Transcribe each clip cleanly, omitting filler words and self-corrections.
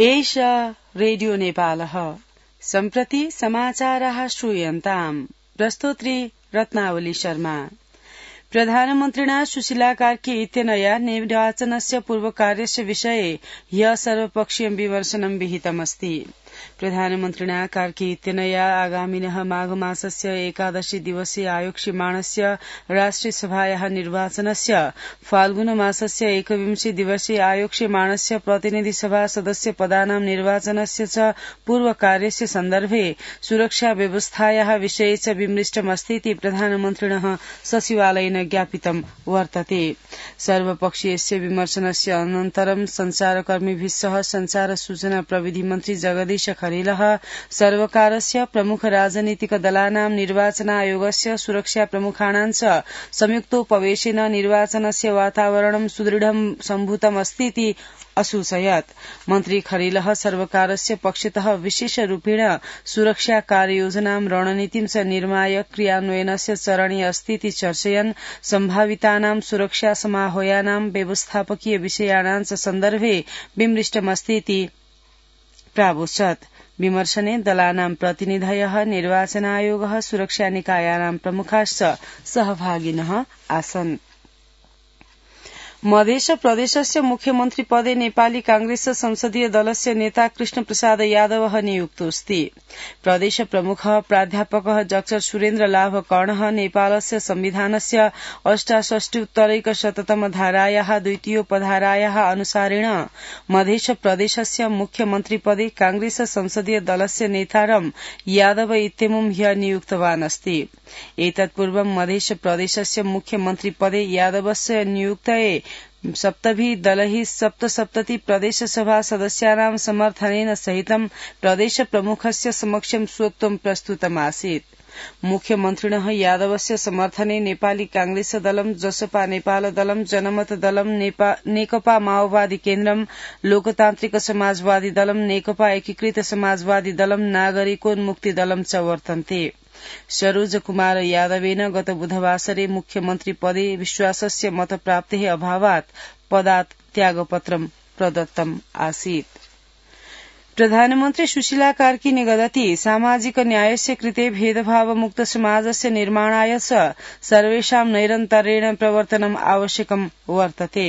एष रेडियो नेपालः सम्प्रति समाचाराः श्रूयन्ताम्। प्रस्तोत्री रत्नावली शर्मा। प्रधानमन्त्रिणा सुशीला कार्की इत्यनया निर्वाचनस्य पूर्वकार्यस्य विषये ह्यः सर्वपक्षीयं विमर्शनं विहितमस्ति। प्रधानमन्त्रिणा कार्की इत्यनया आगामिनः माघमासस्य 11 दिवसीय आयोक्ष्यमाणस्य राष्ट्रियसभायाः निर्वाचनस्य फाल्गुनमासस्य 21 दिवसीय आयोक्ष्यमाणस्य प्रतिनिधिसभा सदस्य पदानां निर्वाचनस्य च पूर्वकार्यस्य सन्दर्भे सुरक्षा व्यवस्थायाः विषये च विमृष्टमस्तीति प्रधानमन्त्रिणः सचिवालयेन ज्ञापितं वर्तते। सर्वपक्षीयस्य विमर्शनस्य अनन्तरं संचारकर्मिभिः सह संचार सूचना प्रविधि मन्त्री जगदीश खरेलः सर्वकारस्य प्रमुख राजनीतिक दलानां निर्वाचन आयोगस्य सुरक्षा प्रमुखाणां च संयुक्तोपवेशेन निर्वाचनस्य वातावरणं सुदृढं सम्भूतमस्तीति असूचयत्। मन्त्री खरेलः सर्वकारस्य पक्षतः विशेषरूपेण सुरक्षा कार्ययोजनां रणनीतिं च निर्माय क्रियान्वयनस्य चरणे अस्तीति चर्चयन् सम्भावितानां सुरक्षा समाह्वयानां व्यवस्थापकीय विषयाणां च सन्दर्भे विमृष्टमस्तीति प्रावोचत्। विमर्शने दलानां प्रतिनिधयः निर्वाचनायोगः सुरक्षा निकायानां प्रमुखाश्च सहभागिनः आसन्। मध्य प्रदेशस्य मुख्यमन्त्री पदे नेपाली कांग्रेस संसदीय दलस्य नेता कृष्ण प्रसाद यादव नियुक्तोऽस्ति। प्रदेश प्रमुख प्राध्यापकः डाक्टर सुरेन्द्र लाभ कर्णः नेपालस्य संविधानस्य 68 धारायाः द्वितीयोपधारायाः अनुसारेण मध्य प्रदेशस्य मुख्यमन्त्री पदे कांग्रेस संसदीय दलस्य नेतारं यादव इत्यमुं ह्यः नियुक्तवान् अस्ति। एतत्पूर्वं मध्य प्रदेशस्य मुख्यमन्त्री पदे यादवस्य नियुक्तये सप्तभिः दलैः 77 प्रदेशसभा सदस्यानां समर्थनेन सहितं प्रदेश प्रमुखस्य समक्षं स्वत्वं प्रस्तुतमासीत्। मुख्यमन्त्रिणः यादवस्य समर्थने नेपाली कांग्रेस दलं, जसपा नेपाल दलं, जनमत दलं, नेकपा माओवादी केन्द्रम, लोकतान्त्रिक समाजवादी दलं, नेकपा एकीकृत समाजवादी दलं, नागरिकोन्मुक्ति दलं च वर्तन्ते। सरोज कुमार यादवेन गत बुधवासरे मुख्यमन्त्री पदे विश्वासस्य मतप्राप्तेः अभावात् पदात् त्यागपत्रं प्रदत्तम् आसीत्। प्रधानमन्त्री सुशीला कार्की निगदति सामाजिक न्यायस्य कृते भेदभावमुक्त समाजस्य निर्माणाय च सर्वेषां नैरन्तर्येण प्रवर्तनम् आवश्यकं वर्तते।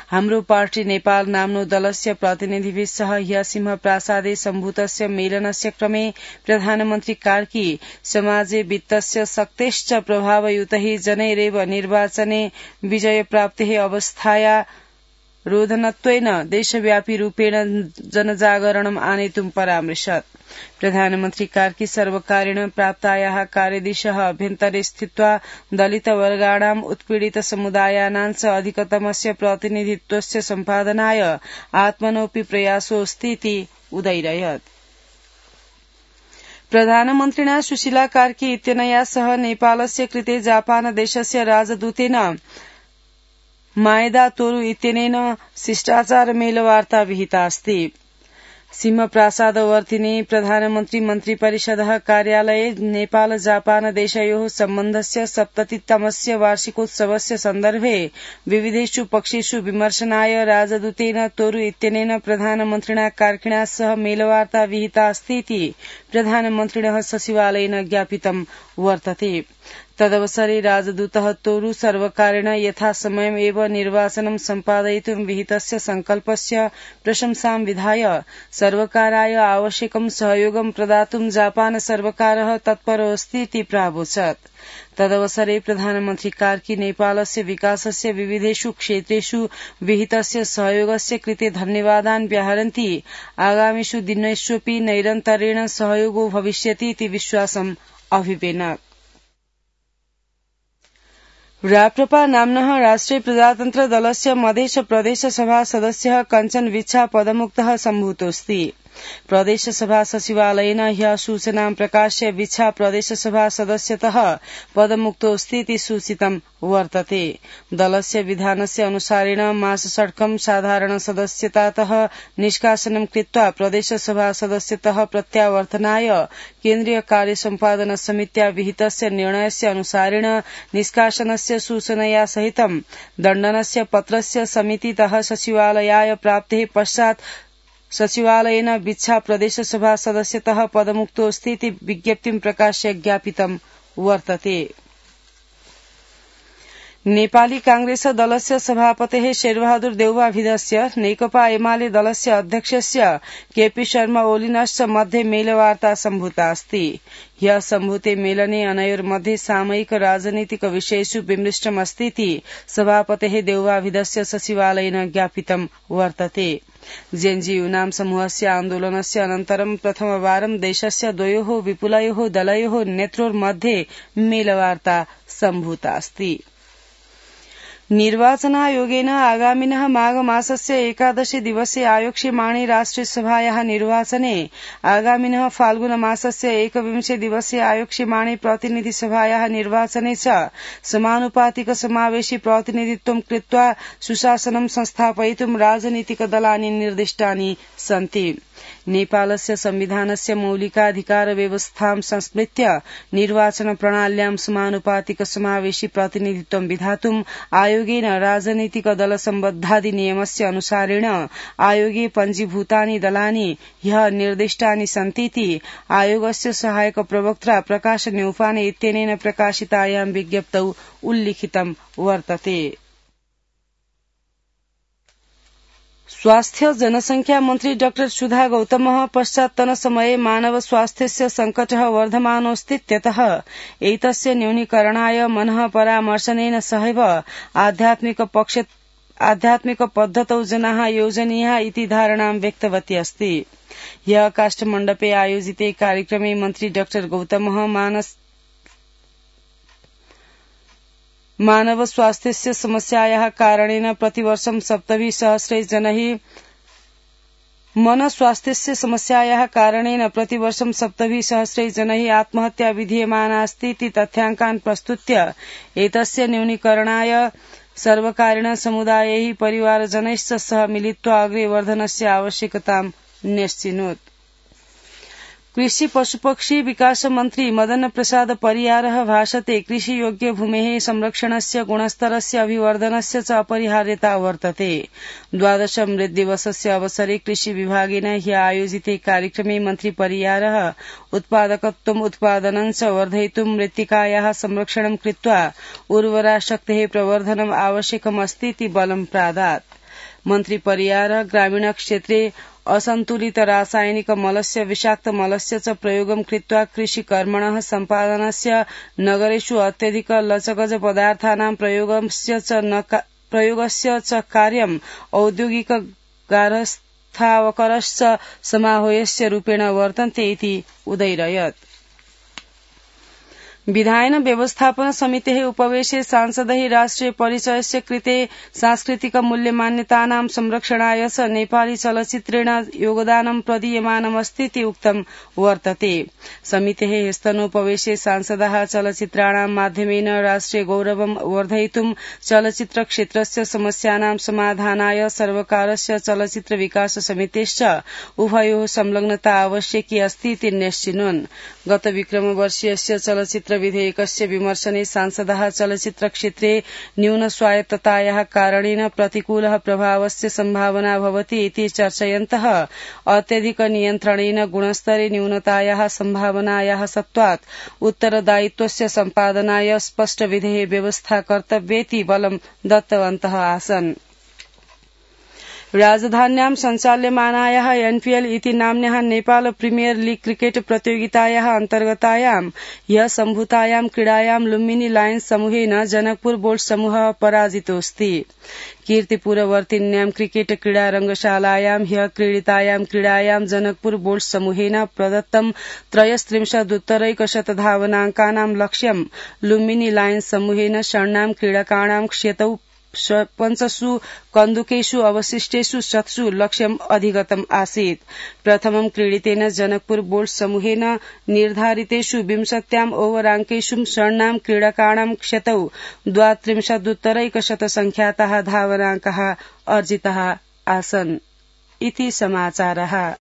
हाम्रो पार्टी नेपाल नाम्नो दलस्य प्रतिनिधिभिः सह ह्यः सिंहप्रासादे सम्भूतस्य मेलनस्य क्रमे प्रधानमन्त्री कार्की समाजे वित्तस्य शक्तेश्च प्रभावयुतैः जनैरेव निर्वाचने विजयप्राप्तेः अवस्थाया रोधनत्वेन देशव्यापी रूपेण जनजागरणम् आनेतुं परामृशत्। प्रधानमन्त्री कार्की सर्वकारेण प्राप्तायाः कार्यदिशः अभ्यन्तरे स्थित्वा दलितवर्गाणाम् उत्पीडित समुदायानां च अधिकतमस्य प्रतिनिधित्वस्य सम्पादनाय आत्मनोऽपि प्रयासोऽस्तीति उदैरयत्। प्रधानमन्त्रिणा सुशीला कार्की इत्यनया सह नेपालस्य कृते जापान देशस्य राजदूतेन माएदा तोरु इत्यनेन शिष्टाचारमेलवार्ता विहिता अस्ति। सिंहप्रासादवर्तिनि प्रधानमन्त्री मन्त्रिपरिषदः कार्यालये नेपाल जापान देशयोः सम्बन्धस्य 70तमस्य वार्षिकोत्सवस्य सन्दर्भे विविधेषु पक्षेषु विमर्शनाय राजदूतेन तोरु इत्यनेन प्रधानमन्त्रिणा कार्किणा सह मेलवार्ता विहिता अस्तीति प्रधानमन्त्रिणः सचिवालयेन ज्ञापितं वर्तते। तदवसरे राजदूतः तोरु सर्वकारेण यथासमयम् एव निर्वाचनं सम्पादयितुं विहितस्य संकल्पस्य प्रशंसां विधाय सर्वकाराय आवश्यकं सहयोगं प्रदातुं जापान सर्वकारः तत्परोऽस्तीति प्रावोचत्। तदवसरे प्रधानमन्त्री कार्की नेपालस्य विकासस्य विविधेषु क्षेत्रेषु विहितस्य सहयोगस्य कृते धन्यवादान् व्याहरन्ति आगामिषु दिनेष्वपि नैरन्तर्येण सहयोगो भविष्यति इति विश्वासम् अभिवेनक्। राप्रपा नाम्नः राष्ट्रिय प्रजातन्त्र दलस्य मध्य प्रदेश सभा सदस्यः कञ्चन विच्छा पदमुक्तः सम्भूतोऽस्ति। प्रदेशसभा सचिवालयेन ह्यः सूचनां प्रकाश्य विच्छा प्रदेशसभा सदस्यतः पदमुक्तोऽस्तीति सूचितं वर्तते। दलस्य विधानस्य अनुसारेण मासषट्कं साधारण सदस्यतातः निष्कासनं कृत्वा प्रदेशसभा सदस्यतः प्रत्यावर्तनाय केन्द्रीय कार्य सम्पादन समित्या विहितस्य निर्णयस्य अनुसारेण निष्कासनस्य सूचनया सहितं दण्डनस्य पत्रस्य समितितः सचिवालयाय प्राप्तेः पश्चात् सचिवालयेन विच्छा प्रदेशसभा सदस्यतः पदमुक्तोऽस्ति इति विज्ञप्तिं प्रकाश्य ज्ञापितं वर्तते। नेपाली कांग्रेस दलस्य सभापतेः शेरबहादुर देउवाभिधस्य नेकपा एमाले दलस्य अध्यक्षस्य केपी शर्मा ओलिनश्च मध्ये मेलवार्ता सम्भूता अस्ति। ह्यः सम्भूते मेलने अनयोर्मध्ये सामयिक राजनीतिक विषयेषु विमृष्टमस्ति इति सभापतेः देउवाभिधस्य सचिवालयेन ज्ञापितं वर्तते। जेएनयू समूहस्य आन्दोलनस्य अनन्तरं प्रथमवारं देशस्य द्वयोः विपुलयोः दलयोः नेत्रोर्मध्ये मेलवार्ता सम्भूता अस्ति। निर्वाचनायोगेन आगामिनः माघ मासस्य 11 दिवसे आयोक्ष्यमाणे राष्ट्रियसभायाः निर्वाचने आगामिनः फाल्गुन मासस्य 21 दिवसे आयोक्ष्यमाणे प्रतिनिधिसभायाः निर्वाचने च समानुपातिक समावेशी प्रतिनिधित्वं कृत्वा सुशासनं संस्थापयितुं राजनीतिकदलानि निर्दिष्टानि सन्ति। नेपालस्य संविधानस्य मौलिकाधिकार व्यवस्थां संस्मृत्य निर्वाचन प्रणाल्यां समानुपातिक समावेशी प्रतिनिधित्वं विधातुं आयोगेन राजनीतिक दल सम्बद्धाधिनियमस्य अनुसारेण आयोगे पञ्जीभूतानि दलानि ह्यः निर्दिष्टानि सन्तीति आयोगस्य सहायक प्रवक्ता प्रकाश न्यौपाने इत्यनेन प्रकाशितायां विज्ञप्तौ उल्लिखितं वर्तते। स्वास्थ्य जनसंख्या मन्त्री डॉ सुधा गौतमः पश्चात्तनसमये मानव स्वास्थ्यस्य संकटः वर्धमानोऽस्तीत्यतः एतस्य न्यूनीकरणाय मनः परामर्शनेन सहैव आध्यात्मिक पद्धतौ जनाः योजनीयाः इति धारणां व्यक्तवती अस्ति। ह्यः काष्ठमण्डपे आयोजिते कार्यक्रमे मन्त्री डॉ गौतमः मानव स्वास्थ्यस्य समस्यायाः कारणेन प्रतिवर्षं 70,000 जनैः मन स्वास्थ्यस्य समस्यायाः कारणेन प्रतिवर्षं 70,000 जनैः आत्महत्या विधीयमाना अस्ति इति तथ्याङ्कान् प्रस्तुत्य एतस्य न्यूनीकरणाय सर्वकारेण समुदायैः परिवारजनैश्च सह मिलित्वा अग्रे वर्धनस्य आवश्यकतां न्यस्चिनोत्। कृषि पशुपक्षी विकास मन्त्री मदन प्रसाद परियारः भाषते कृषि योग्य भूमेः संरक्षणस्य गुणस्तरस्य अभिवर्धनस्य च अपरिहार्यता वर्तते। 12 मृद्दिवसस्य अवसरे कृषि विभागेन ह्यः आयोजिते कार्यक्रमे मन्त्री परियारः उत्पादकत्वम् उत्पादनं च वर्धयितुं मृत्तिकायाः संरक्षणं कृत्वा उर्वरा शक्तेः प्रवर्धनम् आवश्यकमस्ति इति बलं प्रादात्। मन्त्री परियारः ग्रामीण क्षेत्रे असन्तुलित रासायनिक मलस्य विषाक्त मलस्य च प्रयोगं कृत्वा कृषिकर्मणः सम्पादनस्य नगरेषु अत्यधिक लचगज पदार्थानां प्रयोगस्य च कार्यम् औद्योगिक गारस्थावकरश्च समाहोयस्य रूपेण वर्तन्ते इति उदैरयत्। विधायन व्यवस्थापन समितेः उपवेशे सांसदैः राष्ट्रिय परिचयस्य कृते सांस्कृतिक मूल्यमान्यतानां संरक्षणाय च नेपाली चलचित्रेण योगदानं प्रदीयमानमस्ति इति उक्तं वर्तते। समितेः स्तनोपवेशे सांसदाः चलचित्राणां माध्यमेन राष्ट्रिय गौरवं वर्धयितुं चलचित्र क्षेत्रस्य समस्यानां समाधानाय सर्वकारस्य चलचित्र विकास समितेश्च उभयोः संलग्नता आवश्यकी अस्ति इति न्यस्चिनोन्। गत विक्रमवर्षीयस्य चलचित्र विधेयकस्य विमर्शने सांसदाः चलचित्र क्षेत्रे न्यून स्वायत्ततायाः कारणेन प्रतिकूलः प्रभावस्य सम्भावना भवति इति चर्चयन्तः अत्यधिक नियन्त्रणेन गुणस्तरे न्यूनतायाः सम्भावनायाः सत्त्वात् उत्तरदायित्वस्य सम्पादनाय स्पष्ट विधेः व्यवस्था कर्तव्येति बलं दत्तवन्तः आसन्। राजधान्यां सञ्चाल्यमानायाः एनपीएल इति नाम्न्याः नेपाल प्रीमियर लीग क्रिकेट प्रतियोगितायाः अन्तर्गतायां ह्यः सम्भूतायां क्रीडायां लुम्बिनी लायन्स समूहेन जनकपुर बोल्ट् समूहः पराजितोऽस्ति। कीर्तिपुरवर्तिन्यां क्रिकेट क्रीडा रंगशालायां ह्यः क्रीडितायां क्रीडायां जनकपुर बोल्ट् समूहेन प्रदत्तं 33 धावनाङ्कानां लक्ष्यं लुम्बिनी लायन्स समूहेन षण्णां क्रीडकाणां क्षतौ 5 कन्दुकेषु अवशिष्टेषु 7 लक्ष्यम् अधिगतम् आसीत्। प्रथमं क्रीडितेन जनकपुर बोल्ट् समूहेन निर्धारितेषु 20 ओवराङ्केषु षण्णां क्रीडकाणां क्षतौ 32 संख्याताः धावनाङ्काः अर्जिताः आसन्। इति समाचारः।